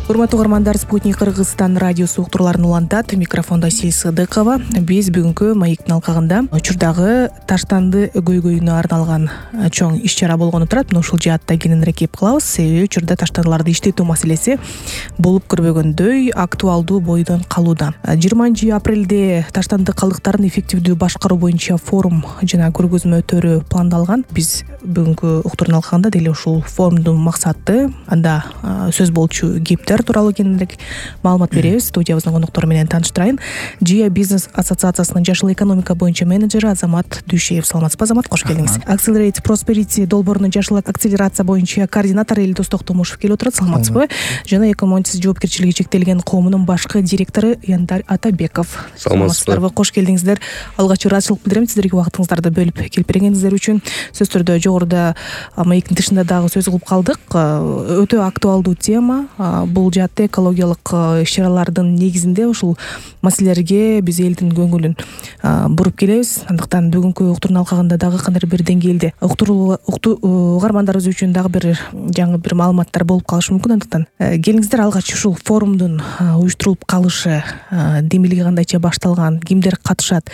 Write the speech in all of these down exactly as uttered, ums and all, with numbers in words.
Урматтуу угармандар, Спутник Кыргызстан радиосу уктурууларын улантат. Микрофондо Сил Сыдыкова. Биз бүгүнкү маектин алкагында учурдагы таштанды көйгөйүнө арналган чоң иш-чара болгону турат. Мына ушул жаатта кененирээк кеп калабыз. Себеби учурда таштандыларды иштетүү маселеси болуп көрбөгөндөй актуалдуу бойдон калууда. жыйырманчы апрелде таштанды калдыктарын эффективдүү башкаруу боюнча форум жана көргөзмө өтөрү пландалган. Биз бүгүнкү уктуруунун алкагында деле ушул форумдун максаты, анда сөз болчу кептер тууралуу кененирээк маалымат беребиз. Студиябыздын кондоктору менен тааныштырайын. Джия бизнес ассоциациясынын жашыл экономика боюнча менеджери Азамат Дүйшеев. Саламатсызбы, Азамат? Кош келдиңиз. Accelerate Prosperity долбоорунун жашыл акселерация боюнча координатору Элдос Токтомушев келип отурат. Саламатсызбы? Жана эки миң он сегиз жоопкерчилиги чектелген коомунун башкы директору Яндар Атабеков. Саламатсыздарбы? Кош келдиңиздер. Алгачкы ыраазычылык билдирем сиздерге убактыңыздарды бөлүп келип бергениңиздер үчүн. Сөз түрдө жогоруда маектин тышында дагы сөз кылып калдык. Өтө актуалдуу тема. Бул жаатта экологиялык иш-чаралардын негизинде ушул маселелерге биз элдин көңүлүн буруп келебиз. Андыктан бүгүнкү уктуруунун алкагында дагы кандайдыр бир деңгээлде уктуруу угармандарыбыз үчүн дагы бир жаңы бир маалыматтар болуп калышы мүмкүн. Андыктан келиңиздер, алгач ушул форумдун уюштурулуп калышы демилиги кандайча башталган, кимдер катышат,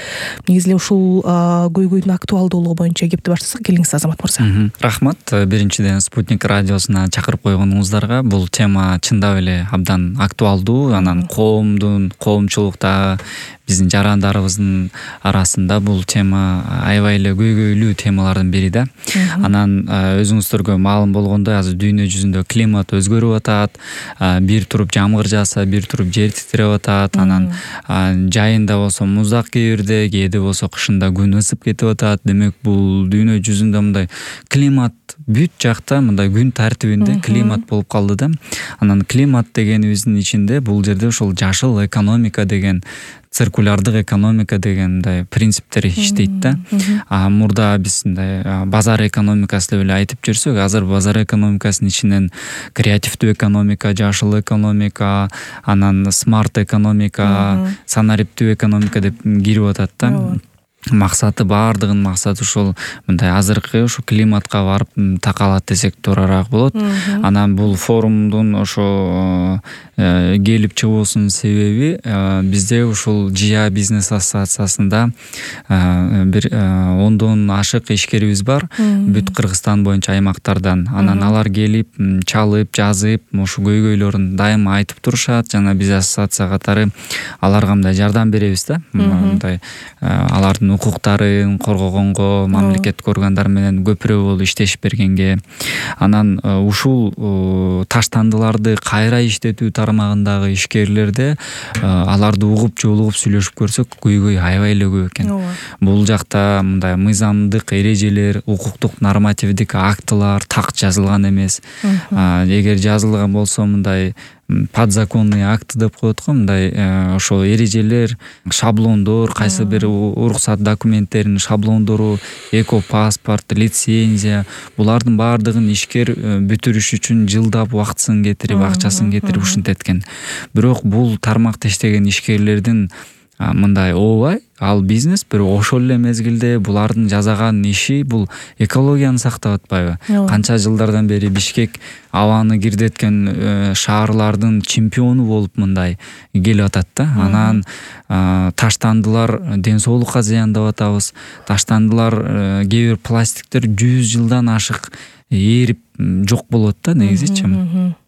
негизи эле ушул көйгөйдүн актуалдуулугу боюнча кепти баштасак. Келиңиз, Азамат мырза. Рахмат. Биринчиден Спутник радиосуна чакырып койгонуңуздарга. Бул тема чындап эле абдан актуалдуу. Анан коомдун, коомчулукта, биздин жарандарыбыздын арасында бул тема аябай эле көйгөйлүү темалардын бири да. Анан өзүңүздөргө маалым болгондой, азыр дүйнө жүзүндө климат өзгөрүп атат. Бир туруп жамгыр жааса, бир туруп жер титиреп атат. Анан жайында болсо муздак кээбирде, кээде болсо кышында күн ысып кетип атат. Демек бул дүйнө жүзүндө мындай климат бүт жакта мындай күн тартибинде климат болуп калды да. Анан климат дегенибиздин ичинде бул жерде ушул жашыл экономика деген, циркулярдык экономика деген мындай принциптер иштейт да. А мурда биз мындай базар экономикасы деп эле айтып жүрсөк, азыр базар экономикасынын ичинен креативдүү экономика, жашыл экономика, анан смарт экономика, санариптүү экономика деп кирип атат да. Максаты, баардыгынын максаты ушул мындай азыркы ушу климатка барып такалат десек туурараак болот. Анан бул форумдун ошо келип чыгуусунун себеби бизде ушул Джия бизнес ассоциациясында бир ондон ашык ишкерибиз бар, бүт Кыргызстан боюнча аймактардан. Анан алар келип, чалып, жазып, ушу көйгөйлөрүн дайыма айтып турушат. Жана биз ассоциация катары аларга мындай жардам беребиз да. Мындай алардын укуктарын коргогонго, мамлекеттик органдар менен көпүрө болуп иштешип бергенге. Анан ушул таштандыларды кайра иштетүү тармагындагы ишкерлерде аларды угуп, жолугуп сүйлөшүп көрсөк, көйгөй аябай эле көп экен. Бул жакта мындай мыйзамдык эрежелер, укуктук нормативдик актылар так жазылган эмес. Эгер жазылган болсо мындай подзаконный акт деп коет го, мындай ошо эрежелер, шаблондор, кайсы бир уруксат документтеринин шаблондору, эко паспорт, лицензия, булардын баардыгын ишкер бүтүрүш үчүн жылдап убактысын кетирип, акчасын кетирип ушинтет экен. Бирок бул тармакта иштеген ишкерлердин мындай ообай, ал бизнес, бирок ошол эле мезгилде булардын жасаган иши бул экологияны сактап атпайбы? Канча жылдардан бери Бишкек абаны кирдеткен шаарлардын чемпиону болуп мындай келип атат да. Анан таштандылар ден соолукка зыяндап атабыз. Таштандылар кээ бир пластиктер жүз жылдан ашык ээрип жок болот да негизичи.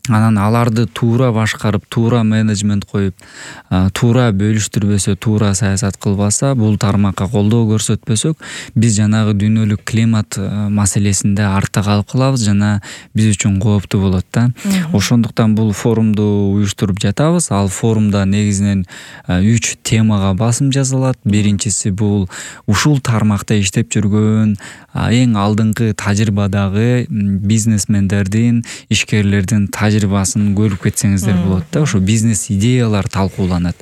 Анан аларды туура башкарып, туура менеджмент коюп, туура бөлүштүрбөсө, туура саясат кылбаса, бул тармакка колдоо көрсөтпөсөк, биз жанагы дүйнөлүк климат маселесинде артта калып калабыз жана биз үчүн кооптуу болот да. Ошондуктан бул форумду уюштуруп жатабыз. Ал форумда негизинен үч темага басым жасалат. Биринчиси бул ушул тармакта иштеп жүргөн эң алдыңкы тажрыйбадагы бизнесмендердин, ишкерлердин тажрыйбасын көрүп кетсеңиздер болот да. Ошо бизнес идеялар талкууланат.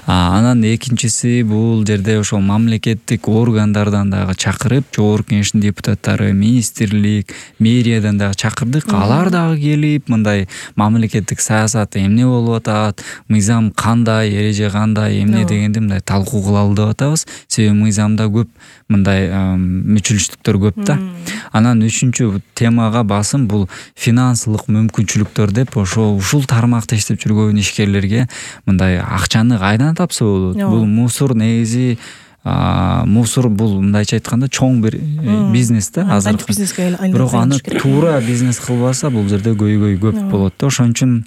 Анан экинчиси бул жерде ошол мамлекеттик органдардан дагы чакырып, жогорку кеңештин депутаттары, министрлик, мэриядан дагы чакырдык. Алар дагы келип, мындай мамлекеттик саясат эмне болуп атат, мыйзам кандай, эреже кандай, эмне дегенди мындай талкуу кылалы деп атабыз. Себеби мыйзамда көп мындай мүчүлүштүктөр көп да. Анан үчүнчү темага басым бул финансылык мүмкүнчүлүктөр деп, ошо ушул тармакта иштеп жүргөн ишкерлерге мындай акчаны кайдан тапса болот. Бул мусор негизи мусор бул мындайча айтканда чоң бир бизнес да азыр. Бирок аны туура бизнес кылбаса бул жерде көйгөй көп болот да. Ошон үчүн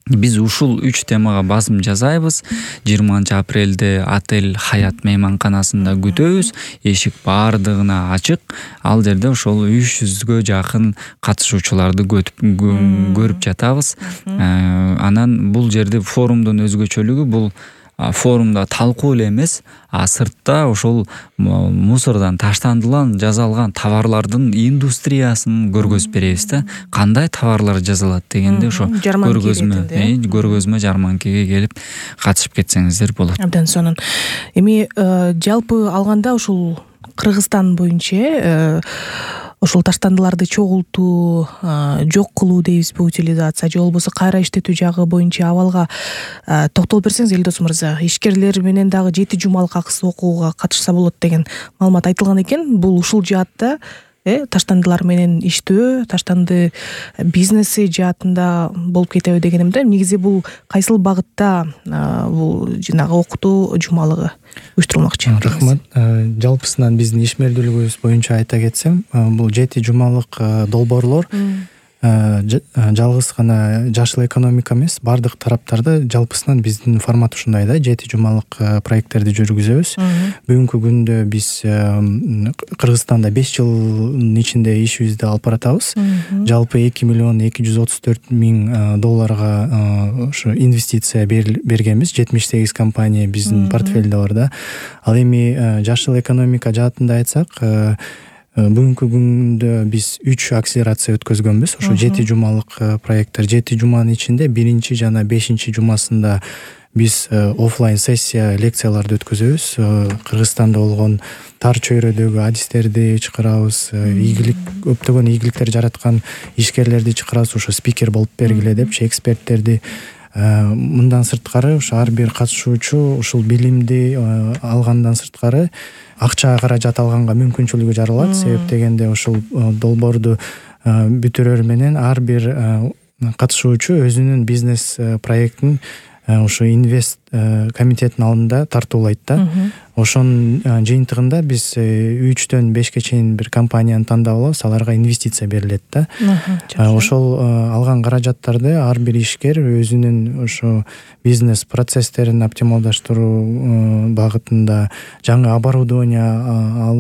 биз ушул үч темага басым жасайбыз. жыйырманчы апрелде Отель Хаят мейманканасында күтөбүз. Эшик баардыгына ачык. Ал жерде ошол үч жүзгө жакын катышуучуларды көрүп жатабыз. Анан бул жерде форумдун өзгөчөлүгү бул форумда талкуу эле эмес, а сыртта ошол мусордон таштандылан жасалган товарлардын индустриясын көргөзүп беребиз да. Кандай товарлар жасалат дегенде ошо көргөзмө, көргөзмө жарманкеге келип катышып кетсеңиздер болот. Абдан сонун. Эми жалпы алганда ушул Кыргызстан боюнча ошол таштандыларды чогултуу, жок кылуу дейбизби, утилизация же болбосо кайра иштетүү жагы боюнча абалга токтолуп берсеңиз Элдос мырза. Ишкерлер менен дагы жети жумалык акысыз окууга катышса болот деген маалымат айтылган экен. Бул ушул жаатта таштандылар менен иштөө, таштанды бизнеси жаатында болуп кетеби дегенимде. Негизи бул кайсыл багытта бул жанагы окутуу жумалыгы уюштурулмакчы? Рахмат. Жалпысынан биздин ишмердүүлүгүбүз боюнча айта кетсем, бул жети жумалык долбоорлор жалгыз гана жашыл экономика эмес, бардык тараптарда жалпысынан биздин формат ушундай да, жети жумалык проекттерди жүргүзөбүз. Бүгүнкү күндө биз Кыргызстанда беш жылдын ичинде ишибизди алып баратабыз. Жалпы эки миллион эки жүз отуз төрт миң долларга ошо инвестиция бергенбиз. жетимиш сегиз компания биздин портфелде бар да. Ал эми жашыл экономика жаатында айтсак, бүгүнкү күндө биз үч акселерация өткөзгөнбүз. Ошо жети жумалык проекттер. жети жуманын ичинде биринчи жана бешинчи жумасында биз офлайн сессия лекцияларды өткөзөбүз. Кыргызстанда болгон тар чөйрөдөгү адистерди чакырабыз, ийгилик көптөгөн ийгиликтер жараткан ишкерлерди чакырабыз, ошо спикер болуп бергиле депчи, эксперттерди. Мындан сырткары ошо ар бир катышуучу ушул билимди алгандан сырткары акча каражат алганга мүмкүнчүлүгү жаралат. Себеп дегенде ушул долбоорду бүтүрөр менен ар бир катышуучу өзүнүн бизнес проектин ошо инвест комитеттин алдында тартуулайт да. Ошонун жыйынтыгында биз үчтөн бешке чейин бир компанияны тандап алабыз, аларга инвестиция берилет да. Ошол алган каражаттарды ар бир ишкер өзүнүн ошо бизнес процесстерин оптималдаштыруу багытында жаңы оборудование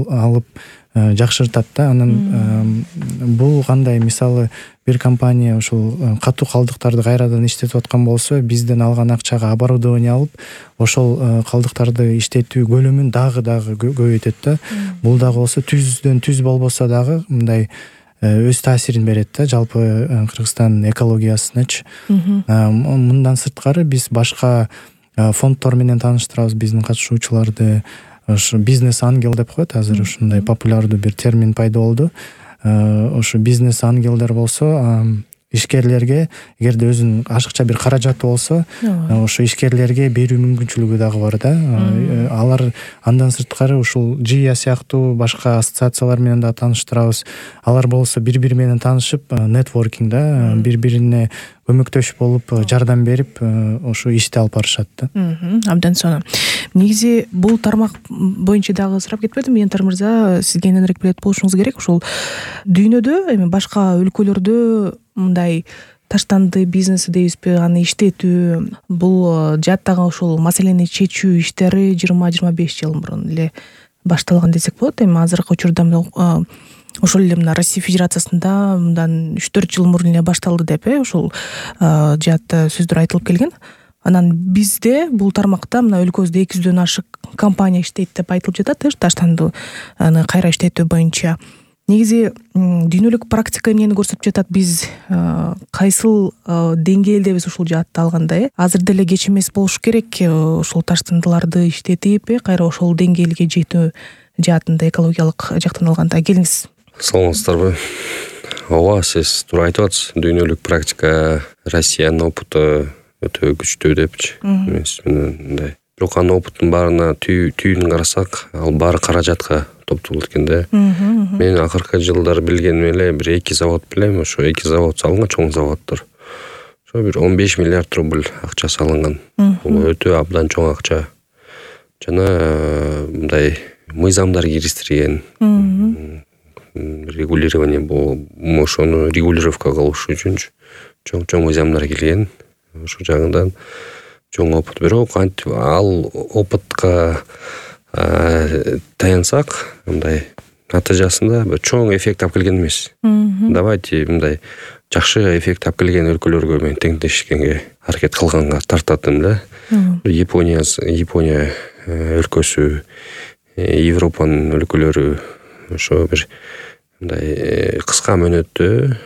алып жакшыртат да. Анан бул кандай, мисалы бир компания ушул катуу калдыктарды кайрадан иштетип аткан болсо, бизден алган акчага оборудование алып, ошол калдыктарды иштетүү көлөмүн дагы дагы көбөйтөт да. Бул дагы болсо түздөн түз болбосо дагы мындай өз таасирин берет да жалпы Кыргызстан экологиясыначы. Мындан сырткары биз башка фонддор менен тааныштырабыз биздин катышуучуларды. Ошо бизнес ангел деп коет азыр, ушундай популярдуу бир термин пайда болду. Ошо бизнес ангелдер болсо ишкерлерге, эгерде өзүнүн ашыкча бир каражаты болсо, ошо ишкерлерге берүү мүмкүнчүлүгү дагы бар да. Алар андан сырткары ушул ЖИЯ сыяктуу башка ассоциациялар менен да тааныштырабыз. Алар болсо бири-бири менен таанышып, нетворкинг да, бири-бирине көмөктөшүп болуп, жардам берип, ошо ишти алып барышат да. Абдан сонун. Негизи бул тармак боюнча дагы сурап кетпедим, Ентар мырза, сизге эненирээк билет болушуңуз керек. Ушул дүйнөдө, эми башка өлкөлөрдө мындай таштанды бизнеси дейбизби, аны иштетүү, бул жааттагы ушул маселени чечүү иштери жыйырма жыйырма беш жыл мурун эле башталган десек болот. Эми азыркы учурда ошол эле мына Россия Федерациясында мындан үч төрт жыл мурун эле башталды деп ошол жаатта сөздөр айтылып келген. Анан бизде бул тармакта мына өлкөбүздө эки жүздөн ашык компания иштейт деп айтылып жатат, таштандыны кайра иштетүү боюнча. негизи дүйнөлүк практика эмнени көрсөтүп жатат, биз кайсыл деңгээлдебиз ушул жаатта алганда э азыр деле кеч эмес болуш керек ушул таштандыларды иштетип э кайра ошол деңгээлге жетүү жаатында экологиялык жактан алганда. Келиңиз. Саламатсыздарбы? Ооба, сиз туура айтып атасыз. Дүйнөлүк практика Россиянын опыту өтө күчтүү депчи. Мындай. Бирок анын опыттын баарына түйүнүн карасак, ал баары каражатка топтолот экен да. Мен акыркы жылдары билгеним эле бир эки завод билем, ошо эки завод салынган, чоң заводдор. Ошо бир он беш миллиард рубль акча салынган. Бул өтө абдан чоң акча. Жана мындай мыйзамдар киргизилген. Регулирование бул ошону регулировка кылыш үчүн чоң-чоң мыйзамдар келген. Ошол жагынан чоң опыт. Бирок ал опытка таянсак, мындай натыйжасында бир чоң эффект алып келген эмес. Давайте мындай жакшы эффект алып келген өлкөлөргө мен теңдешкенге аракет кылганга тартатым да. Япония, Япония өлкөсү, Европанын өлкөлөрү ошо бир мындай кыска мөөнөттө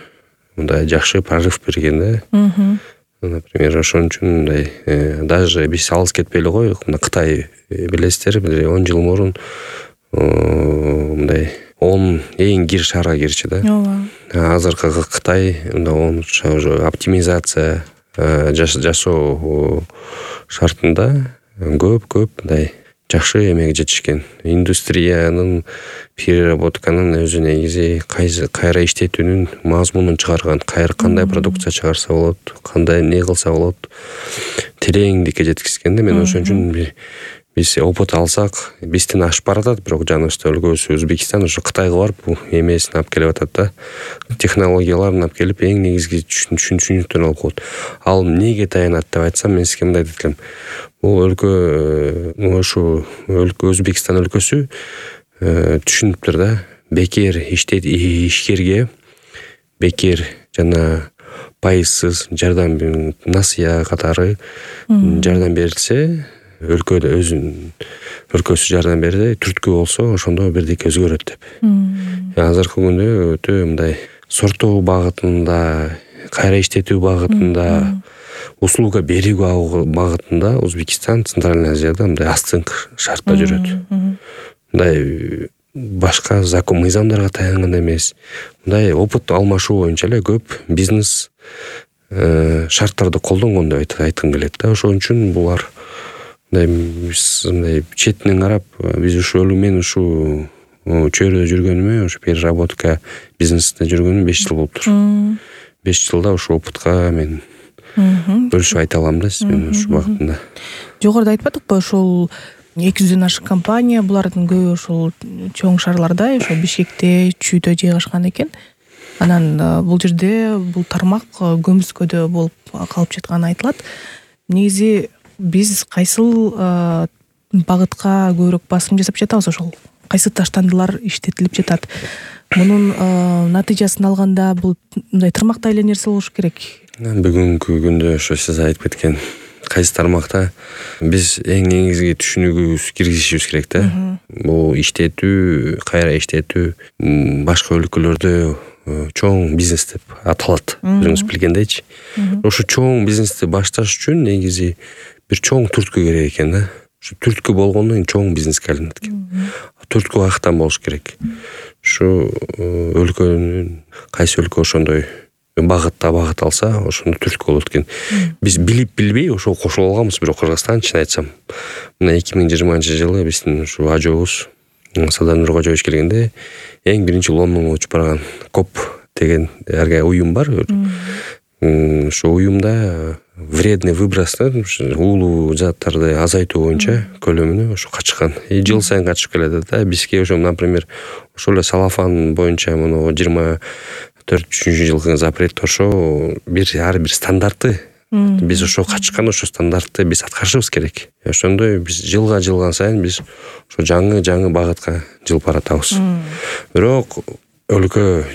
мындай жакшы прорыв берген да. Например, ошон үчүн мындай даже биз алыс кетпей эле коелук. Мына Кытай билесиздер, бир он жыл мурун мындай он эң кир шаарга кирчү да. Ооба. Азыркы Кытай мындай он уже оптимизация жасоо шартында көп-көп мындай жакшы эмеге жетишкен. Индустриянын, переработканын өзү негизи кайра иштетүүнүн мазмунун чыгарган, кайра кандай продукция чыгарса болот, кандай не кылса болот, тереңдикке жеткизген да. Мен ошон үчүн биз опыт алсак, бизден ашып баратат, бирок жаныбызда өлкөсү Өзбекстан ошо Кытайга барып бул эмесин алып келип атат да. Технологияларын алып келип, эң негизги түшүнүктөрүн алып коет. Ал эмнеге таянат деп айтсам, мен сизге мындай дейт элем. Бул өлкө, ошо өлкө Өзбекстан өлкөсү түшүнүптүр да. Бекер иштет ишкерге бекер жана пайызсыз жардам, насыя катары жардам берилсе, өлкөдө өзүнүн өлкөсү жардам берди, түрткү болсо, ошондо бирдеке өзгөрөт деп. Азыркы күндө өтө мындай сорттоо багытында, кайра иштетүү багытында, услуга берүү багытында Өзбекстан Центральный Азияда мындай астыңкы шартта жүрөт. Мындай башка закон мыйзамдарга таянган эмес. Мындай опыт алмашуу боюнча эле көп бизнес шарттарды колдонгон деп айткым келет да. Ошон үчүн булар мындай четинен карап, биз ушу мен ушу чөйрөдө жүргөнүмө, ушу переработка бизнесинде жүргөнүмө беш жыл болуптур. беш жылда ушу опытка мен бөлүшүп айта алам да сизмен ушу багытында. Жогоруда айтпадыкпы, ошол эки жүздөн ашык компания, булардын көбү ошол чоң шаарларда, ошо Бишкекте, Чүйдө жайгашкан экен. Анан бул жерде бул тармак көмүскөдө болуп калып жатканы айтылат. Негизи биз кайсыл багытка көбүрөөк басым жасап жатабыз, ошол кайсы таштандылар иштетилип жатат? Мунун натыйжасын алганда бул мындай тармакта эле нерсе болуш керек. Бүгүнкү күндө ошо сиз айтып кеткен кайсы тармакта биз эң негизги түшүнүгүбүз киргизишибиз керек да. Бул иштетүү, кайра иштетүү башка өлкөлөрдө чоң бизнес деп аталат, өзүңүз билгендейчи. Ошо чоң бизнести башташ үчүн негизи бир чоң түрткү керек экен да. Ушу түрткү болгондон кийин чоң бизнеске айланат экен. Түрткү каяктан болуш керек? Ушу өлкөнүн кайсы өлкө ошондой багытта багыт алса, ошондо түрткү болот экен. Биз билип билбей ошо кошулуп алганбыз, бирок Кыргызстан чын айтсам, мына эки миң жыйырманчы жылы биздин ушу ажообуз Садар Нуркожоевич келгенде эң биринчи Лондонго учуп барган коп деген уюм бар. Ошо уюмда вредный выбростор, уулуу заттарды азайтуу боюнча көлөмүнө ошо качкан. И жыл сайын качып келет да. Бизге ошо, например, ошол эле салафан боюнча муну жыйырма төртүнчү жылкы запрет ошо бир ар бир стандартты. Биз ошо качкан ошо стандартты биз аткарышыбыз керек. Ошондой биз жылга жылган сайын биз ошо жаңы-жаңы багытка жылып баратабыз. Бирок өлкө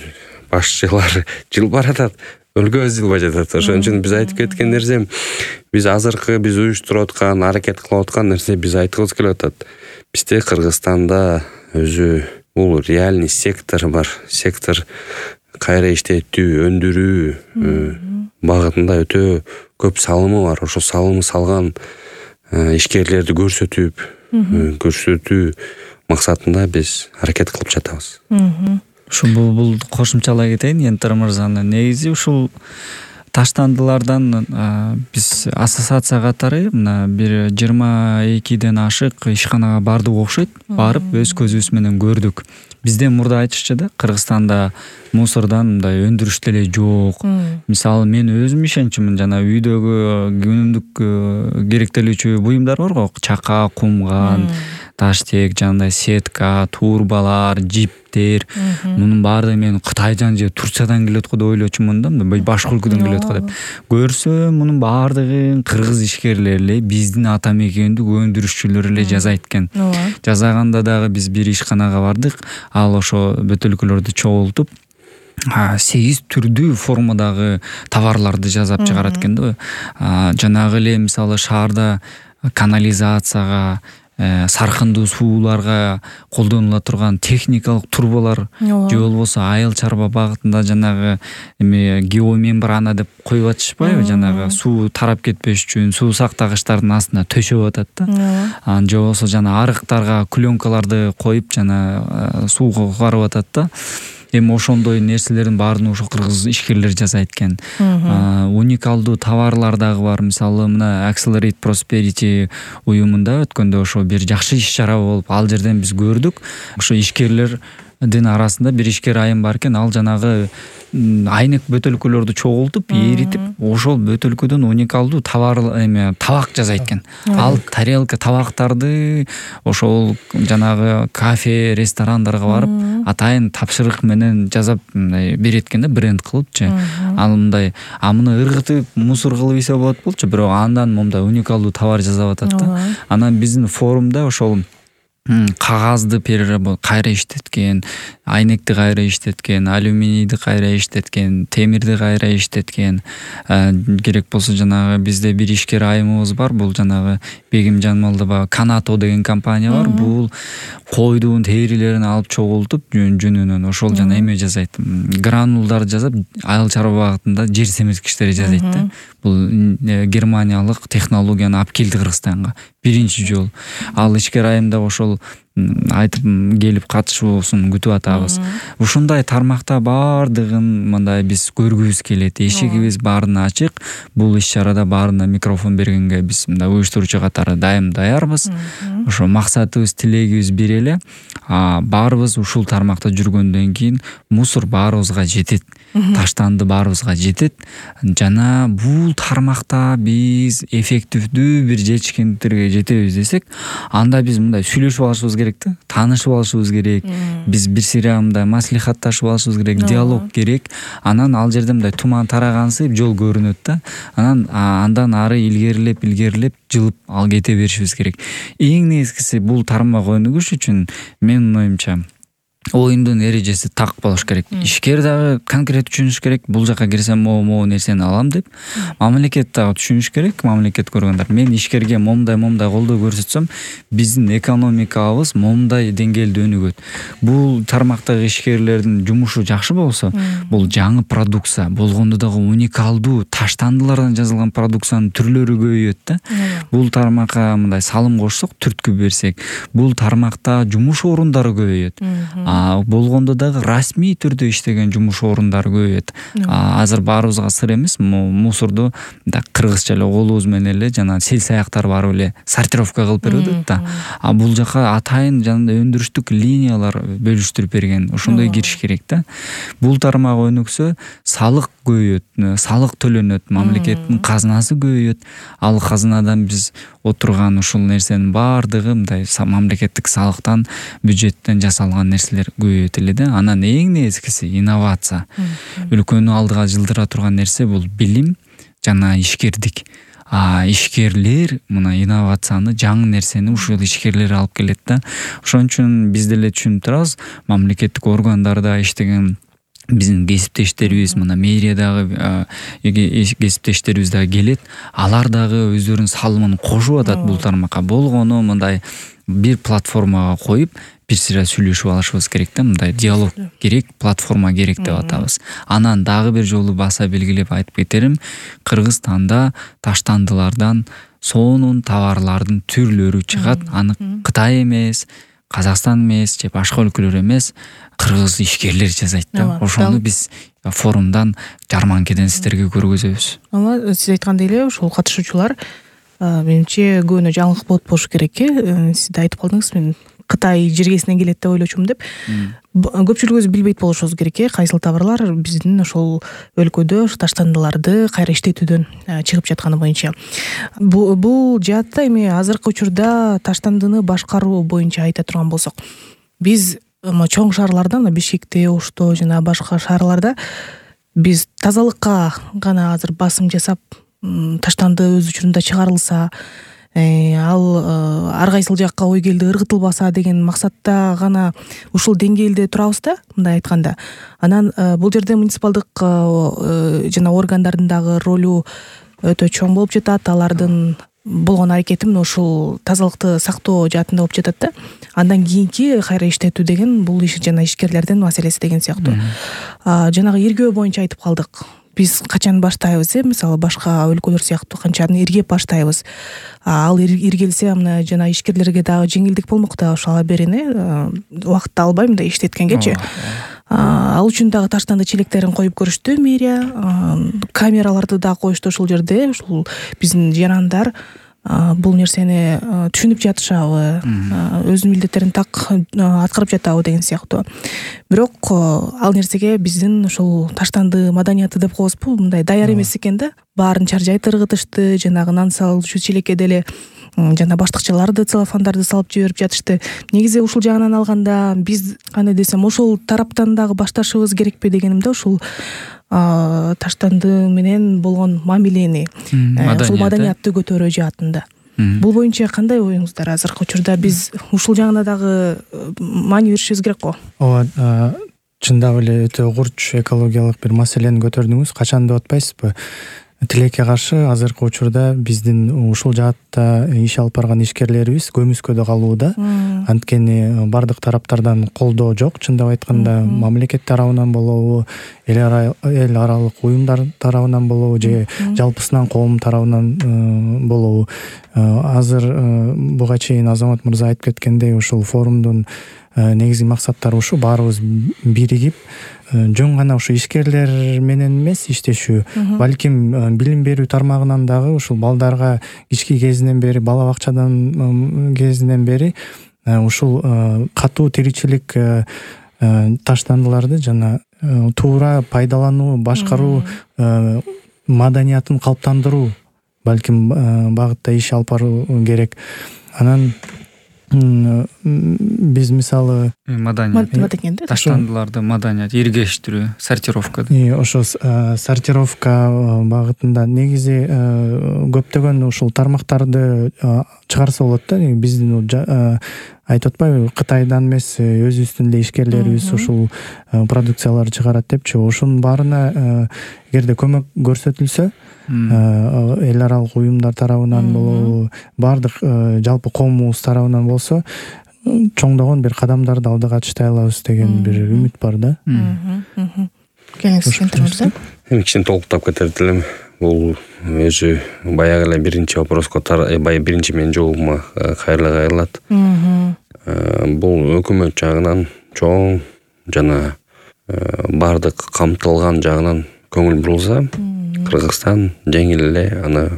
башчылар жылып баратат, өлкө жылбай жатат. Ошон үчүн биз айтып кеткен нерсе, биз азыркы биз уюштуруп аткан, аракет кылып аткан нерсе биз айткыбыз келип атат. Бизде Кыргызстанда өзү бул реальный сектор бар. Сектор кайра иштетүү, өндүрүү багытында өтө көп салымы бар. Ошо салымы салган ишкерлерди көрсөтүп, көрсөтүү максатында биз аракет кылып жатабыз. Ушу бул бул кошумчалай кетейин Ентер мырзаны. Негизи ушул таштандылардан биз ассоциация катары мына бир жыйырма экиден ашык ишканага бардык окшойт. Барып өз көзүбүз менен көрдүк. Бизден мурда айтышчу да, Кыргызстанда мусордон мындай өндүрүш деле жок. Мисалы мен өзүм ишенчүмүн, жана үйдөгү күнүмдүк керектелүүчү буюмдар барго, чака, кумган, таштек, жандай сетка, турбалар, жиптер, мунун баары мен Кытайдан же Турциядан келет го деп ойлочумун да, башка өлкөдөн келет го деп. Көрсөм мунун баардыгын кыргыз ишкерлери эле, биздин ата мекендик өндүрүшчүлөр эле жазайт экен. Жазаганда дагы биз бир ишканага бардык, ал ошо бөтөлкөлөрдү чогултуп сегиз түрдүү формадагы товарларды жасап чыгарат экен да. Жанагы эле мисалы шаарда канализацияга, саркындуу сууларга колдонула турган техникалык турбалар же болбосо айыл чарба багытында жанагы эме геомембрана деп коюп атышпайбы, жанагы суу тарап кетпеш үчүн суу сактагычтардын астына төшөп атат да. Анан же болбосо жана арыктарга пленкаларды коюп жана сууга карап атат да. Эми ошондой нерселердин баарын ошо кыргыз ишкерлер жасайт экен. Уникалдуу товарлар дагы бар. Мисалы мына Accelerate Prosperity уюмунда өткөндө ошо бир жакшы иш чара болуп, ал жерден биз көрдүк. Ошо ишкерлердин арасында бир ишкер айым бар экен, ал жанагы айнек бөтөлкөлөрдү чогултуп, эритип, ошол бөтөлкөдөн уникалдуу товар эме табак жасайт экен. Ал тарелка табактарды ошол жанагы кафе, ресторандарга барып, атайын тапшырык менен жасап берет экен да, бренд кылыпчы. Ал мындай, а муну ыргытып, мусор кылып ийсе болот болчу, бирок андан момундай уникалдуу товар жасап атат да. Анан биздин форумда ошол кагазды кайра иштеткен, айнекти кайра иштеткен, алюминийди кайра иштеткен, темирди кайра иштеткен, керек болсо жанагы бизде бир ишкер айымыбыз бар, бул жанагы Бегим Жанмалдыба Канато деген компания бар. Бул койдун терилерин алып чогултуп жүнүнөн ошол жана эме жасайт, гранулдар жасап айыл чарба багытында жер семирткичтери жасайт да. Бул германиялык технологияны алып келди Кыргызстанга биринчи жолу. Ал ишкер айымда ошол айтып келип катышуусун күтүп атабыз. Ушундай тармакта баардыгын мындай биз көргүбүз келет. Эшигибиз баарына ачык. Бул иш чарада баарына микрофон бергенге биз мындай уюштуруучу катары дайым даярбыз. Ошо максатыбыз, тилегибиз бир эле. Баарыбыз ушул тармакта жүргөндөн кийин мусор баарыбызга жетет. Таштанды баарыбызга жетет. Жана бул тармакта биз эффективдүү бир жетишкендиктерге жетебиз десек, анда биз мындай сүйлөшүп алышыбыз керек да, таанышып алышыбыз керек. Биз бир сыйра мындай маслихатташып алышыбыз керек, диалог керек. Анан ал жерде мындай туман тарагансып жол көрүнөт да. Анан андан ары илгерилеп, илгерилеп жылып ал кете беришибиз керек. Эң негизгиси бул тармак өнүгүш үчүн менин оюмча оюндун эрежеси так болуш керек. Ишкер дагы конкрет түшүнүш керек. Бул жака кирсем могу нерсени алам деп. Мамлекет дагы түшүнүш керек. Мамлекет көргөндөр. Мен ишкерге момундай момундай колдоо көрсөтсөм, биздин экономикабыз момундай деңгээлде өнүгөт. Бул тармактагы ишкерлердин жумушу жакшы болсо, бул жаңы продукция, болгондо дагы уникалдуу таштандылардан жасалган продукциянын түрлөрү көбөйөт да. Бул тармакка мындай салым кошсок, түрткү берсек, бул тармакта жумуш орундары көбөйөт. Болгондо дагы расмий түрдө иштеген жумуш орундары көбөйөт. Азыр баарыбызга сыр эмес, мусорду да кыргызча эле колубуз менен эле жана сел саяктар барып эле сортировка кылып берип атат да. А бул жака атайын жана өндүрүштүк линиялар бөлүштүрүп берген. Ошондой кириш керек да. Бул тармак өнүксө, салык көбөйөт, салык төлөнөт, мамлекеттин казынасы көбөйөт. Ал казынадан биз отурган ушул нерсенин баардыгы мындай мамлекеттик салыктан, бюджеттен жасалган нерселер көбөйөт эле да. Анан эң негизгиси инновация. Өлкөнү алдыга жылдыра турган нерсе бул билим жана ишкердик. А ишкерлер мына инновацияны, жаңы нерсени ушул ишкерлер алып келет да. Ошон үчүн биз деле түшүнүп турабыз, мамлекеттик органдарда иштеген биздин кесиптештерибиз мына мэриядагы кесиптештерибиз дагы келет, алар дагы өздөрүнүн салымын кошуп атат бул тармакка. Болгону мындай бир платформага коюп бир сыйра сүйлөшүп алышыбыз керек да, мындай диалог керек, платформа керек деп атабыз. Анан дагы бир жолу баса белгилеп айтып кетерим, Кыргызстанда таштандылардан сонун товарлардын түрлөрү чыгат. Аны Кытай эмес, Казакстан эмес, же башка өлкөлөр эмес, кыргыз ишкерлер жасайт да. Ошону биз форумдан, жарманкеден сиздерге көргөзөбүз. Ала сиз айткандай эле ошол катышуучулар менимче көбүнө жаңылык болуп болушу керек э. Сиз да айтып калдыңыз, мен Кытай жергесинен келет деп ойлочумун деп. Көпчүлүгүбүз билбейт болушубуз керек э, кайсыл товарлар биздин ошол өлкөдө таштандыларды кайра иштетүүдөн чыгып жатканы боюнча. Бул жаатта эми азыркы учурда таштандыны башкаруу боюнча айта турган болсок, биз чоң шаарларда, мына Бишкекте, Ошто жана башка шаарларда биз тазалыкка гана азыр басым жасап, таштанды өз учурунда чыгарылса, ал ар кайсыл жакка ой келди ыргытылбаса деген максатта гана ушул деңгээлде турабыз да, мындай айтканда. Анан бул жерде муниципалдык жана органдардын дагы ролу өтө чоң болуп жатат. Алардын болгон аракети мына ушул тазалыкты сактоо жаатында болуп жатат да. Андан кийинки кайра иштетүү деген бул иш жана ишкерлердин маселеси деген сыяктуу. Жанагы иргөө боюнча айтып калдык. Биз качан баштайбыз, э, мисалы башка өлкөлөр сыяктуу канчаны иргеп баштайбыз. Ал иргелсе, мына жана ишкерлерге дагы жеңилдик болмок да, ошо ала берин, э, убакытты албай мындай иштеткенгечи. Ал үчүн дагы таштанды челектерин коюп көрүштү мэрия, камераларды да коюшту ошол жерде. Ушул биздин жарандар бул нерсени түшүнүп жатышабы, өз милдеттерин так аткарып жатабы деген сыяктуу. Бирок ал нерсеге биздин ошол таштанды маданияты деп коебузбу, мындай даяр эмес экен да. Баарын чаржайт ыргытышты, жанагы нан салуучу челекке деле жана баштыкчаларды целлофандарды салып жиберип жатышты. Негизи ушул жагынан алганда биз кандай десем, ошол тараптан дагы башташыбыз керекпи дегенимде, ушул таштанды менен болгон мамилени, ушул маданиятты көтөрүү жаатында. Бул боюнча кандай оюңуздар? Азыркы учурда биз ушул жагына дагы маани беришибиз керек го. Ооба, чындап эле өтө курч экологиялык бир маселени көтөрдүңүз. Качан деп атпайсызбы? Тилекке каршы азыркы учурда биздин ушул жаатта иш алып барган ишкерлерибиз көмүскөдө калууда. Анткени бардык тараптардан колдоо жок. Чындап айтканда, мамлекет тарабынан болобу, эл аралык уюмдар тарабынан болобу, же жалпысынан коом тарабынан болобу. Азыр буга чейин Азамат мырза айтып кеткендей, ушул форумдун негизги максаттары ушу: баарыбыз биригип, жөн гана ушу ишкерлер менен эмес иштешүү, балким билим берүү тармагынан дагы ушул балдарга кички кезинен бери, бала бакчадан кезинен бери ушул катуу тиричилик таштандыларды жана туура пайдалануу, башкаруу маданиятын калыптандыруу балким багытта иш алып баруу керек. Анан биз мисалы маданият таштандыларды маданият иргештирүү, сортировка. Ошо сортировка багытында негизи көптөгөн ушул тармактарды чыгарса болот да. Биздин айтып атпайбы, Кытайдан эмес өзүбүздүн эле ишкерлерибиз ушул продукцияларды чыгарат депчи. Ошонун баарына эгерде көмөк көрсөтүлсө, эл аралык уюмдар тарабынан болобу, бардык жалпы коомубуз тарабынан болсо, чоңдогон бир кадамдарды алдыга таштай алабыз деген бир үмүт бар да. Келиңиз, эми кичине толуктап кетер элем. Бул өзү баягы эле биринчи вопроско, баягы биринчи менин жообума кайрыла кайрылат. Бул өкмөт жагынан чоң жана бардык камтылган жагынан көңүл бурулса, Кыргызстан жеңил эле аны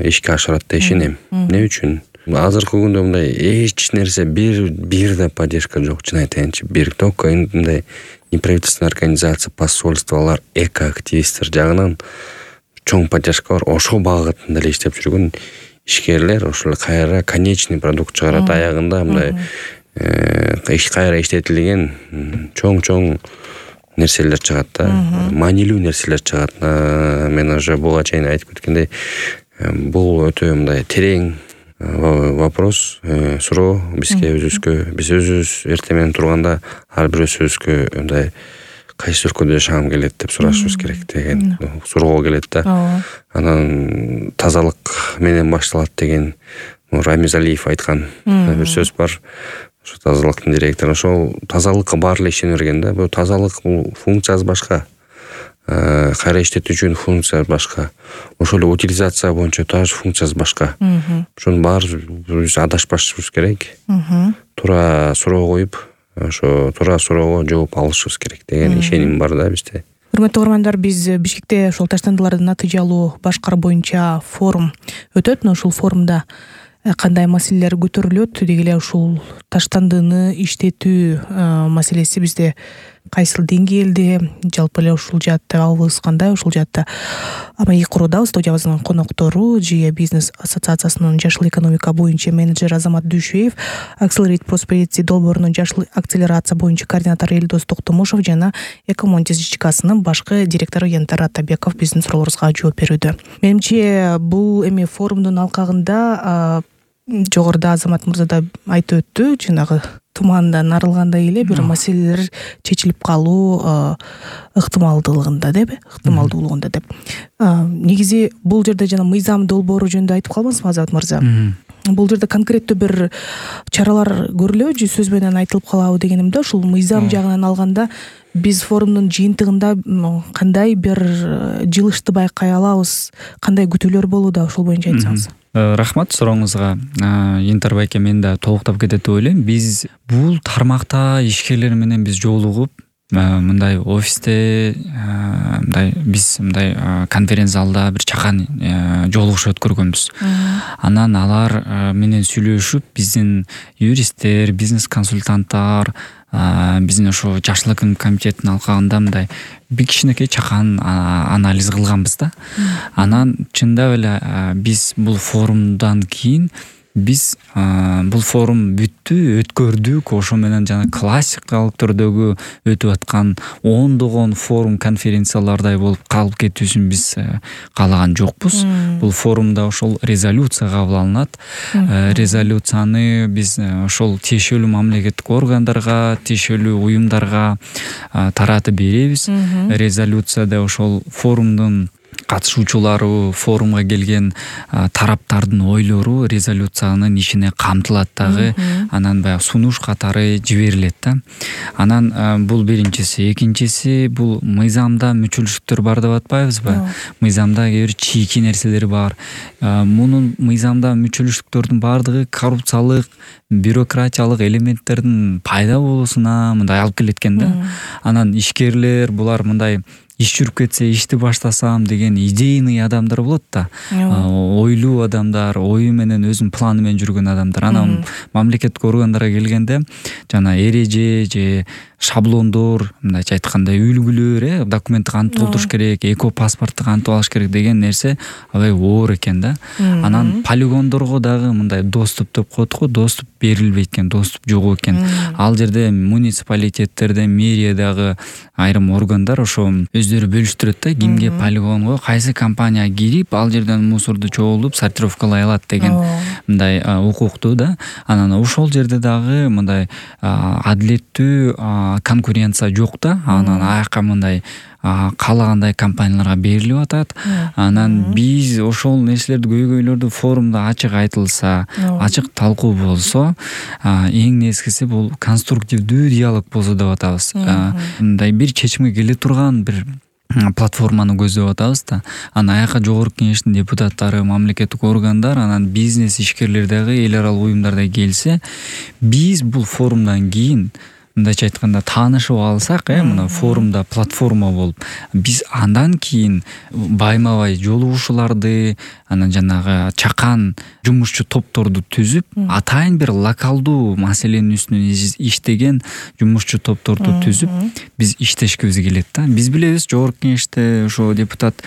ишке ашырат деп ишенем. Эмне үчүн? Азыркы күндө мындай эч нерсе бир бир да поддержка жок, чын айтайынчы. Бир только мындай неправительственный организация, посольстволор, экоактивисттер жагынан чоң поддержка бар. Ошол багытында эле иштеп жүргөн ишкерлер ошол кайра конечный продукт чыгарат. Аягында мындай иш кайра иштетилген чоң-чоң нерселер чыгат да, маанилүү нерселер чыгат. Мен уже буга чейин айтып кеткендей, бул өтө мындай терең вопрос, суроо бизге өзүбүзгө. Биз өзүбүз эртең менен турганда ар бир өзүбүзгө мындай кайсы өлкөдө жашагым келет деп сурашыбыз керек деген суроого келет да. Анан тазалык менен башталат деген Рамиз Алиев айткан бир сөз бар. Ошо тазалыктын директору ошол тазалыкка баары эле ишене берген да. Бул тазалык бул функциясы башка. Кайра иштетүүчүнүн функциясы башка. Ошол эле утилизация боюнча тоже функциясы башка. Ошонун баарын биз адашпашыбыз керек. Туура суроо коюп, ошо туура суроого жооп алышыбыз керек деген ишеним бар да бизде. Урматтуу угармандар, биз Бишкекте ошол таштандыларды натыйжалуу башкаруу боюнча форум өтөт. Ошол форумда кандай маселелер көтөрүлөт, деги эле ушул таштандыны иштетүү маселеси бизде кайсыл деңгээлде, жалпы эле ушул жаатта абыбыз кандай, ушул жаатта маек курууда студиябыздын коноктору Жия бизнес ассоциациясынын жашыл экономика боюнча менеджер Азамат Дүйшөев, Accelerate Prosperity долбоорунун жашыл акселерация боюнча координатору Элдос Токтомушев жана Экомонтис ЖЧКсынын башкы директору Янтар Атабеков биздин суроолорубузга жооп берүүдө. Менимче бул эми форумдун алкагында жогоруда Азамат мырза да айтып өттү, жанагы тумандан арылгандай эле бир маселелер чечилип калуу ыктымалдуулугунда деп, ыктымалдуулугунда деп. Негизи бул жерде жана мыйзам долбоору жөнүндө айтып калбаңызбы Азамат мырза? Бул жерде конкреттүү бир чаралар көрүлөбү, сөз менен айтылып калабы дегенимде, ушул мыйзам жагынан алганда биз форумдун жыйынтыгында кандай бир жылышты байкай алабыз, кандай күтүүлөр болууда, ошол боюнча айтсаңыз. Рахмат сурооңузга. Янтар байке, мен да толуктап кетет деп ойлойм. Биз бул тармакта ишкерлер менен биз жолугуп, мындай офисте, мындай биз мындай конференция залда бир чакан жолугуш өткөргөнбүз. Анан алар менен сүйлөшүп, биздин юристтер, бизнес консультанттар, биздин ошо жашыл экономика комитетинин алкагында мындай бир кичинекей чакан анализ кылганбыз да. Анан чындап эле биз бул форумдан кийин биз бул форум бүттү, өткөрдүк, ошо менен жана классикалык түрдөгү өтүп аткан ондогон форум конференциялардай болуп калып кетүүсүн биз каалаган жокпуз. Бул форумда ошол резолюция кабыл алынат. Резолюцияны биз ошол тиешелүү мамлекеттик органдарга, тиешелүү уюмдарга таратып беребиз. Резолюцияда ошол форумдун катышуучулары, форумга келген тараптардын ойлору резолюциянын ичине камтылат дагы. Анан баягы сунуш катары жиберилет да. Анан бул биринчиси, экинчиси бул мыйзамда мүчөлүштүктөр бар деп атпайбызбы? Мыйзамда кээ бир чийки нерселер бар. Мунун мыйзамда мүчөлүштүктөрдүн баардыгы коррупциялык, бюрократиялык элементтердин пайда болуусуна мындай алып келет экен да. Анан ишкерлер булар мындай иш жүрүп кетсе, ишти баштасам деген идейный адамдар болот да. Ойлуу адамдар, ою менен өзүнүн планы менен жүргөн адамдар. Анан мамлекеттик органдарга келгенде жана эреже же шаблондор, мындайча айтканда үлгүлөр, э, документти кантип толтуруш керек, эко паспортты кантип алыш керек деген нерсе аябай оор экен да. Анан полигондорго дагы мындай доступ деп коет го, доступ берилбейт экен, доступ жок экен. Ал жерде муниципалитеттерде, мэриядагы айрым органдар ошо өздөрү бөлүштүрөт да, кимге полигонго кайсы компания кирип, ал жерден мусорду чогултуп, сортировкалай алат деген мындай укуктуу да. Анан ошол жерде дагы мындай адилеттүү конкуренция жок да. Анан аяка мындай каалагандай компанияларга берилип атат. Анан биз ошол нерселерди, көйгөйлөрдү форумда ачык айтылса, ачык талкуу болсо, эң нескиси бул конструктивдүү диалог болсо деп атабыз. Мындай бир чечимге келе турган бир платформаны көздөп атабыз да. Анан аяка жогорку кеңештин депутаттары, мамлекеттик органдар, анан бизнес ишкерлер дагы, эл аралык уюмдар да келсе, биз бул форумдан кийин мындайча айтканда таанышып алсак, э, мына форумда платформа болуп, биз андан кийин байма-бай жолугушууларды, анан жанагы чакан жумушчу топторду түзүп, атайын бир локалдуу маселенин үстүнөн иштеген жумушчу топторду түзүп, биз иштешкибиз келет да. Биз билебиз, жогорку кеңеште ошо депутат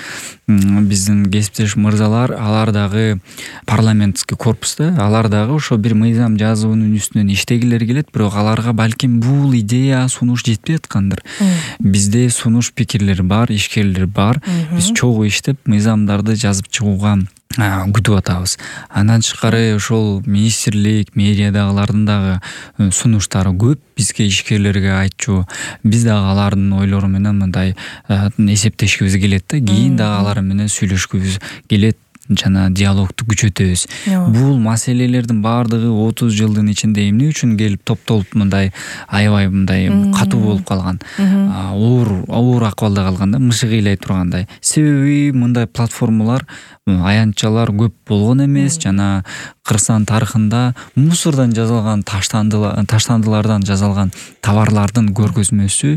биздин кесиптеш мырзалар, алар дагы парламенттик корпуста, алар дагы ошо бир мыйзам жазуунун үстүнөн иштегилери келет, бирок аларга балким бул идея, сунуш жетпей аткандыр. Бизде сунуш пикирлер бар, ишкерлер бар. Биз чогуу иштеп, мыйзамдарды жазып чыгууга күтүп атабыз. Андан тышкары ошол министрлик, мэриядагылардын дагы сунуштары көп бизге, ишкерлерге айтчу. Биз дагы алардын ойлору менен мындай эсептешкибиз келет да, кийин дагы алар менен сүйлөшкүбүз келет, жана диалогду күчөтөбүз. Бул маселелердин баардыгы отуз жылдын ичинде эмне үчүн келип топтолуп мындай аябай мындай катуу болуп калган, оор оор акыбалда калган да, мышык ыйлай тургандай. Себеби мындай платформалар, аянтчалар көп болгон эмес, жана Кыргызстан тарыхында мусордон жасалган, таштандылардан жасалган товарлардын көргөзмөсү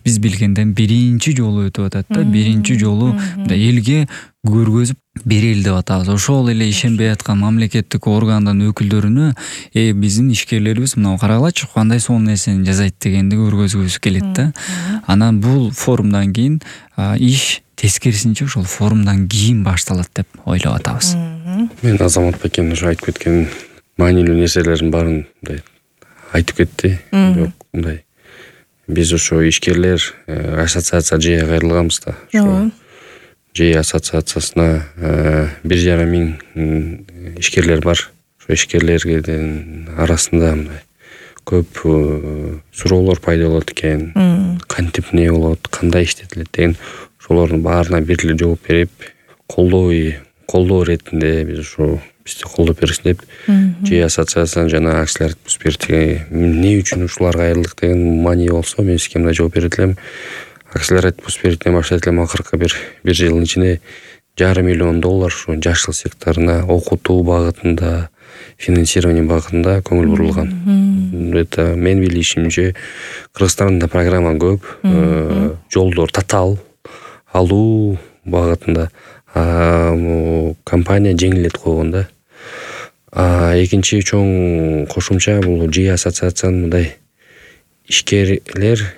биз билгенден биринчи жолу өтүп атат да, биринчи жолу элге көргөзүп берели деп атабыз. Ошол эле ишенбей аткан мамлекеттик органдын өкүлдөрүнө э биздин ишкерлерибиз мына карагылачы кандай сонун нерсени жасайт дегенди көргөзгүбүз келет да. Анан бул форумдан кийин иш тескерисинче ошол форумдан кийин башталат деп ойлоп атабыз. Мен Азамат Бекен уже айтып кеткен маанилүү нерселердин баарын мындай айтып кетти. Бирок мындай биз ошо ишкерлер ассоциация жээ кайрылганбыз да. Ошо жээ ассоциациясына бир жарым миң ишкерлер бар. Ошо ишкерлердин арасында мындай көп суроолор пайда болот экен. Кантип эмне болот, кандай иштетилет деген ошолордун баарына бир эле жооп берип, колдоо колдоо иретинде биз ошо бизди колдоп берсин деп жээ ассоциациясынан жана акциялардык буспиртиге эмне үчүн ушуларга кайрылдык деген маани болсо мен сизге мындай жооп берет элем. Акциялардык буспиртинен баштайт элем, акыркы бир бир жылдын ичинде жарым миллион доллар ушу жашыл секторуна окутуу багытында, финансирование багытында көңүл бурулган. Это мен билишимче Кыргызстанда программа көп, жолдор татаал алуу багытында компания жеңилдетип койгон да. Экинчи чоң кошумча бул жээ ассоциациянын мындай ишкерлер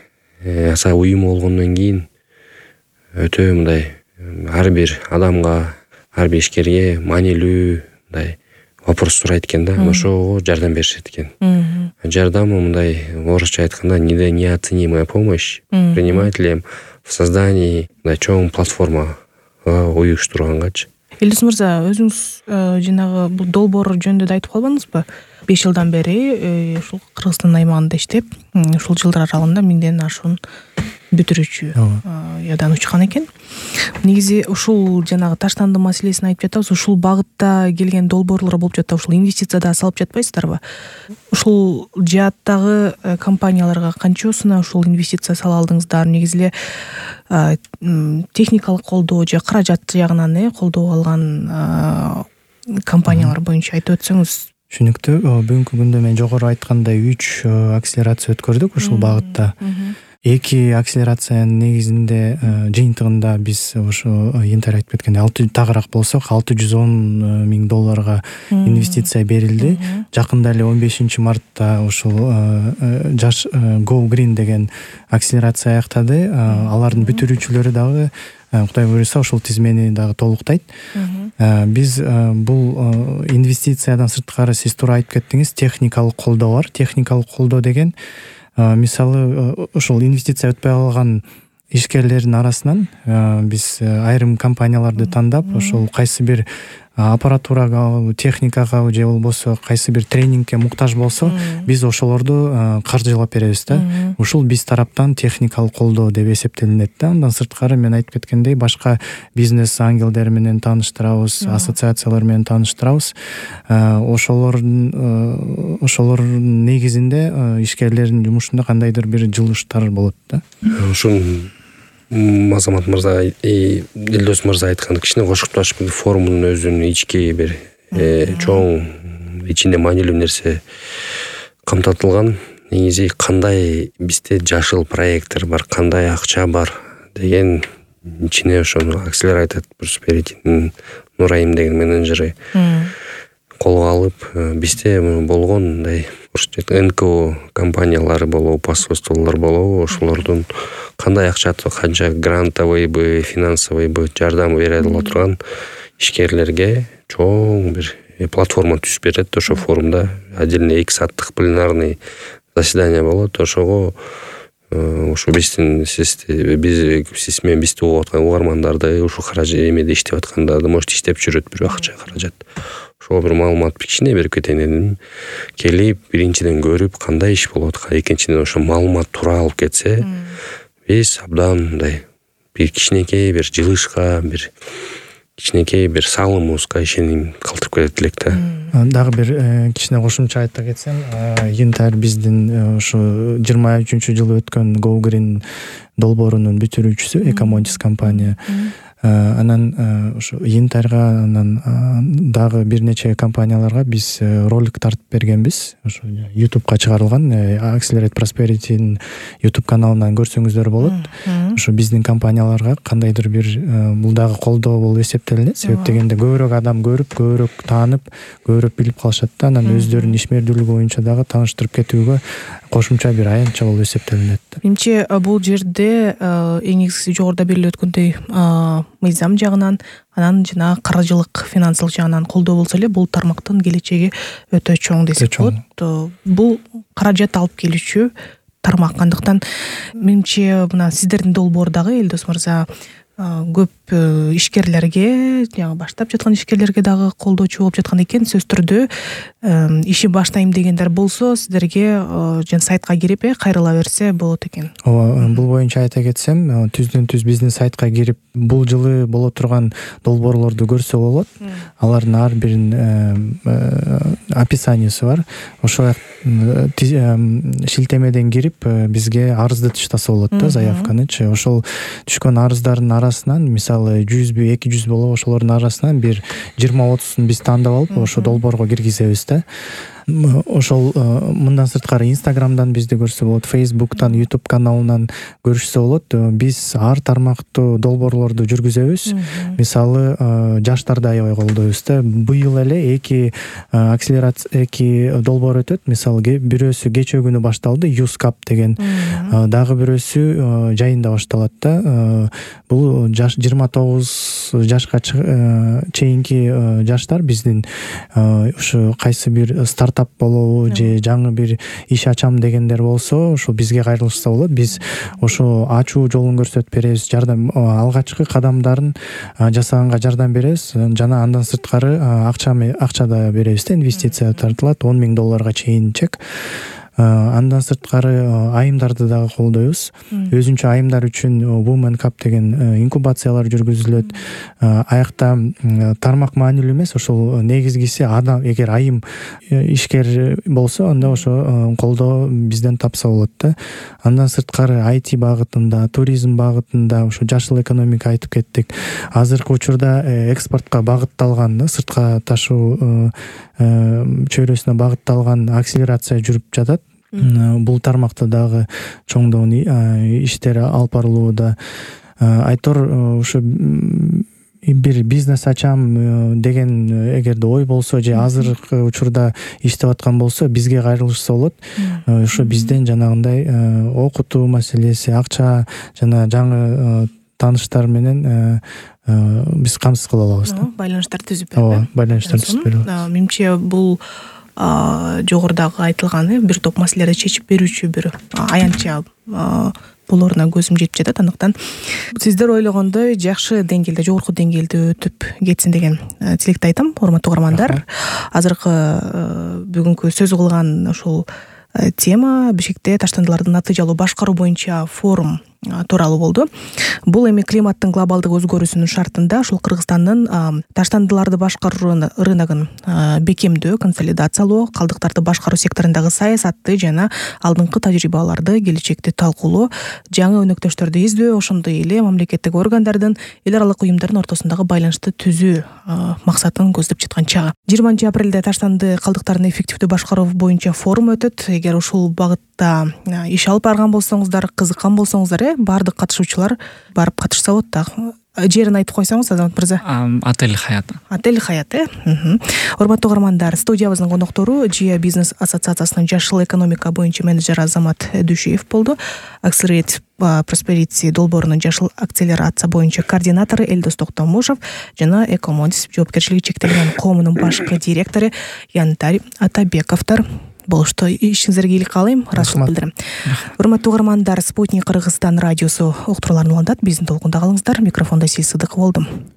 аса уюм болгондон кийин өтө мындай ар бир адамга, ар бир ишкерге маанилүү мындай вопрос сурайт экен да, ошого жардам беришет экен. Жардамы мындай орусча айтканда неоценимая помощь предпринимателям в создании мындай чоң платформа уюштургангачы. Элдос мырза, өзүңүз жанагы бул долбоор жөнүндө да айтып калбадыңызбы? беш жылдан бери ушул Кыргызстан аймагында иштеп, ушул жылдар аралыгында миңден ашуун бүтүрүүчү ядан учкан экен. Негизи ушул жанагы таштанды маселесин айтып жатабыз. Ушул багытта келген долбоорлор болуп жатат. Ушул инвестиция да салып жатпайсыздарбы? Ушул жааттагы компанияларга канчосуна ушул инвестиция сала алдыңыздар? Негизи эле техникалык колдоо же каражат жагынан э колдоо алган компаниялар боюнча айтып өтсөңүз. Түшүнүктүү. Бүгүнкү күндө мен жогору айткандай үч акселерация өткөрдүк ушул багытта. Эки акселерациянын негизинде жыйынтыгында биз ошо янтар айтып кеткендей алты тагыраак болсок алты жүз он миң долларга инвестиция берилди. Жакында эле он бешинчи мартта ушул жаш Go Green деген акселерация аяктады. Алардын бүтүрүүчүлөрү дагы Кудай буюрса ошол тизмени дагы толуктайт. Биз бул инвестициядан сырткары сиз туура айтып кеттиңиз, техникалык колдоо бар. Техникалык колдоо деген мисалы ошол инвестиция өтпөй калган ишкерлердин арасынан биз айрым компанияларды тандап, ошол кайсы бир аппаратурага, техникага же болбосо кайсы бир тренингке муктаж болсо, биз ошолорду каржылап беребиз да. Ушул биз тараптан техникалык колдоо деп эсептелинет да. Андан сырткары мен айтып кеткендей башка бизнес ангелдер менен тааныштырабыз, ассоциациялар менен тааныштырабыз. Ошолордун ошолордун негизинде ишкерлердин жумушунда кандайдыр бир жылыштар болот да. Ушул Азамат мырза, Элдос мырза айтканды кичине кошукташып, форумдун өзүнүн ички бир чоң ичинде маанилүү нерсе камтатылган. Негизи кандай бизде жашыл проекттер бар, кандай акча бар деген ичине ошону акселератор просперитинин Нурайым деген менеджери колго алып, бизде болгон мындай эн ка о компаниялары болобу, посольстволор болобу, ошолордун кандай акча, канча грантовыйбы, финансовыйбы жардам бере ала турган ишкерлерге чоң бир платформа түзүп берет. Ошо форумда отдельно эки сааттык пленарный заседание болот. Ошого ошо биздин сизди биз сиз менен бизди угуп аткан угармандарды ушул каражат эмеде иштеп аткандарды может иштеп жүрөт бир акча каражат. Ошого бир маалымат кичине берип кетейин дедим. Келип биринчиден көрүп кандай иш болуп аткан, экинчиден ошо маалымат туура алып кетсе, биз абдан мындай бир кичинекей бир жылышка, бир кичинекей бир салымыбызга ишеним калтырып кетет элек да. Дагы бир кичине кошумча айта кетсем, Янтарь биздин ошо жыйырма үчүнчү жылы өткөн Go Green долбоорунун бүтүрүүчүсү Экомодис компания. Анан ошо Янтарьга, анан дагы бир нече компанияларга биз ролик тартып бергенбиз. Ошо YouTubeга чыгарылган, Accelerate Prosperity'нин YouTube каналынан көрсөңүздөр болот. Ошо биздин компанияларга кандайдыр бир бул дагы колдоо болуп эсептелинет. Себеп дегенде көбүрөөк адам көрүп, көбүрөөк таанып, көбүрөөк билип калышат да. Анан өздөрүнүн ишмердүүлүгү боюнча дагы тааныштырып кетүүгө кошумча бир аянтча болуп эсептелинет. Менимче бул жерде эң негизгиси жогоруда берилип өткөндөй мыйзам жагынан, анан жана каржылык, финансылык жагынан колдоо болсо эле бул тармактын келечеги өтө чоң десек болот. Бул каражат алып келүүчү тармак. Андыктан менимче мына сиздердин долбоор дагы Элдос мырза көп ишкерлерге, жаңы баштап жаткан ишкерлерге дагы колдоочу болуп жаткан экен. Сөз түрдө иши баштайм дегендер болсо, сиздерге жана сайтка кирип кайрыла берсе болот экен. Ооба, бул боюнча айта кетсем, түздөн түз биздин сайтка кирип бул жылы боло турган долбоорлорду көрсө болот. Алардын ар биринин описаниясы бар. Ошо шилтемеден кирип бизге арызды таштаса болот да, заявканычы. Ошол түшкөн арыздардын арасынан, мисалы жүзбү, эки жүз болобу, ошолордун арасынан бир жыйырма отузун биз тандап алып, ошо долбоорго киргизебиз да. Ошол мындан сырткары Instagramдан бизди көрсө болот, Facebook'тан, YouTube каналынан көрүшсө болот. Биз ар тармактуу долбоорлорду жүргүзөбүз. Мисалы жаштарды аябай колдойбуз да. Быйыл эле эки акселерация, эки долбоор өтөт. Мисалы бирөөсү кечээ күнү башталды, Юскап деген. Дагы бирөөсү жайында башталат да. Бул жыйырма тогуз жашка чейинки жаштар биздин ушу кайсы бир старт болобу же жаңы бир иш ачам дегендер болсо, ошо бизге кайрылышса болот. Биз ошо ачуу жолун көрсөтүп беребиз, жардам алгачкы кадамдарын жасаганга жардам беребиз. Жана андан сырткары акча акча да беребиз да, инвестиция тартылат, он миң долларга чейин чек. Андан сырткары айымдарды дагы колдойбуз. Өзүнчө айымдар үчүн Women Cup деген инкубациялар жүргүзүлөт. Аякта тармак маанилүү эмес, ошол негизгиси адам эгер айым ишкер болсо, анда ошо колдоо бизден тапса болот да. Андан сырткары ай ти багытында, туризм багытында, ошо жашыл экономика айтып кеттик. Азыркы учурда экспортко багытталган, сыртка ташуу чөйрөсүнө багытталган акселерация жүрүп жатат. Бул тармакта дагы чоңдон иштер алып барылууда. Айтор ушу бир бизнес ачам деген эгерде ой болсо же азыркы учурда иштеп аткан болсо, бизге кайрылышса болот. Ошо бизден жанагындай окутуу маселеси, акча жана жаңы тааныштар менен биз камсыз кыла алабыз да. Байланыштар түзүп берип. Ооба, байланыштар түзүп берип. Менимче бул жогорудагы айтылган бир топ маселелерди чечип берүүчү бир аянтча болоруна көзүм жетип жатат. Андыктан сиздер ойлогондой жакшы деңгээлде, жогорку деңгээлде өтүп кетсин деген тилекти айтам, урматтуу угармандар. Азыркы бүгүнкү сөз кылган ушул тема Бишкекте таштандыларды натыйжалуу башкаруу боюнча форум тууралуу болду. Бул эми климаттын глобалдык өзгөрүүсүнүн шартында ушул Кыргызстандын таштандыларды башкаруу рыногун бекемдөө, консолидациялоо, калдыктарды башкаруу секторундагы саясатты жана алдыңкы тажрыйбаларды келечекте талкуулоо, жаңы өнөктөштөрдү издөө, ошондой эле мамлекеттик органдардын, эл аралык уюмдардын ортосундагы байланышты түзүү максатын көздөп жаткан чагы. жыйырманчы апрелде таштанды калдыктарын эффективдүү башкаруу боюнча форум өтөт. Эгер ушул багытта иш алып барган болсоңуздар, кызыккан болсоңуздар, баардык катышуучулар барып катышса болот да. Жерин айтып койсоңуз, Азамат мырза. Отель Хаят. Отель Хаят, э. Урматтуу угармандар, студиябыздын коноктору Жия бизнес ассоциациясынын жашыл экономика боюнча менеджери Азамат Дүйшиев болду. Accelerate Prosperity долбоорунун жашыл акселерация боюнча координатору Элдос Токтомушев жана Экомодис жоопкерчилиги чектелген коомунун башкы директору Янтарь Атабековдор. болушту. Ишиңиздерге ийгилик каалайм, ыраазычылык билдирем. Урматтуу угармандар, Спутник Кыргызстан радиосу уктурууларын улантат. Биздин толкунда калыңыздар. Микрофондо Асель Сыдыкова болдум.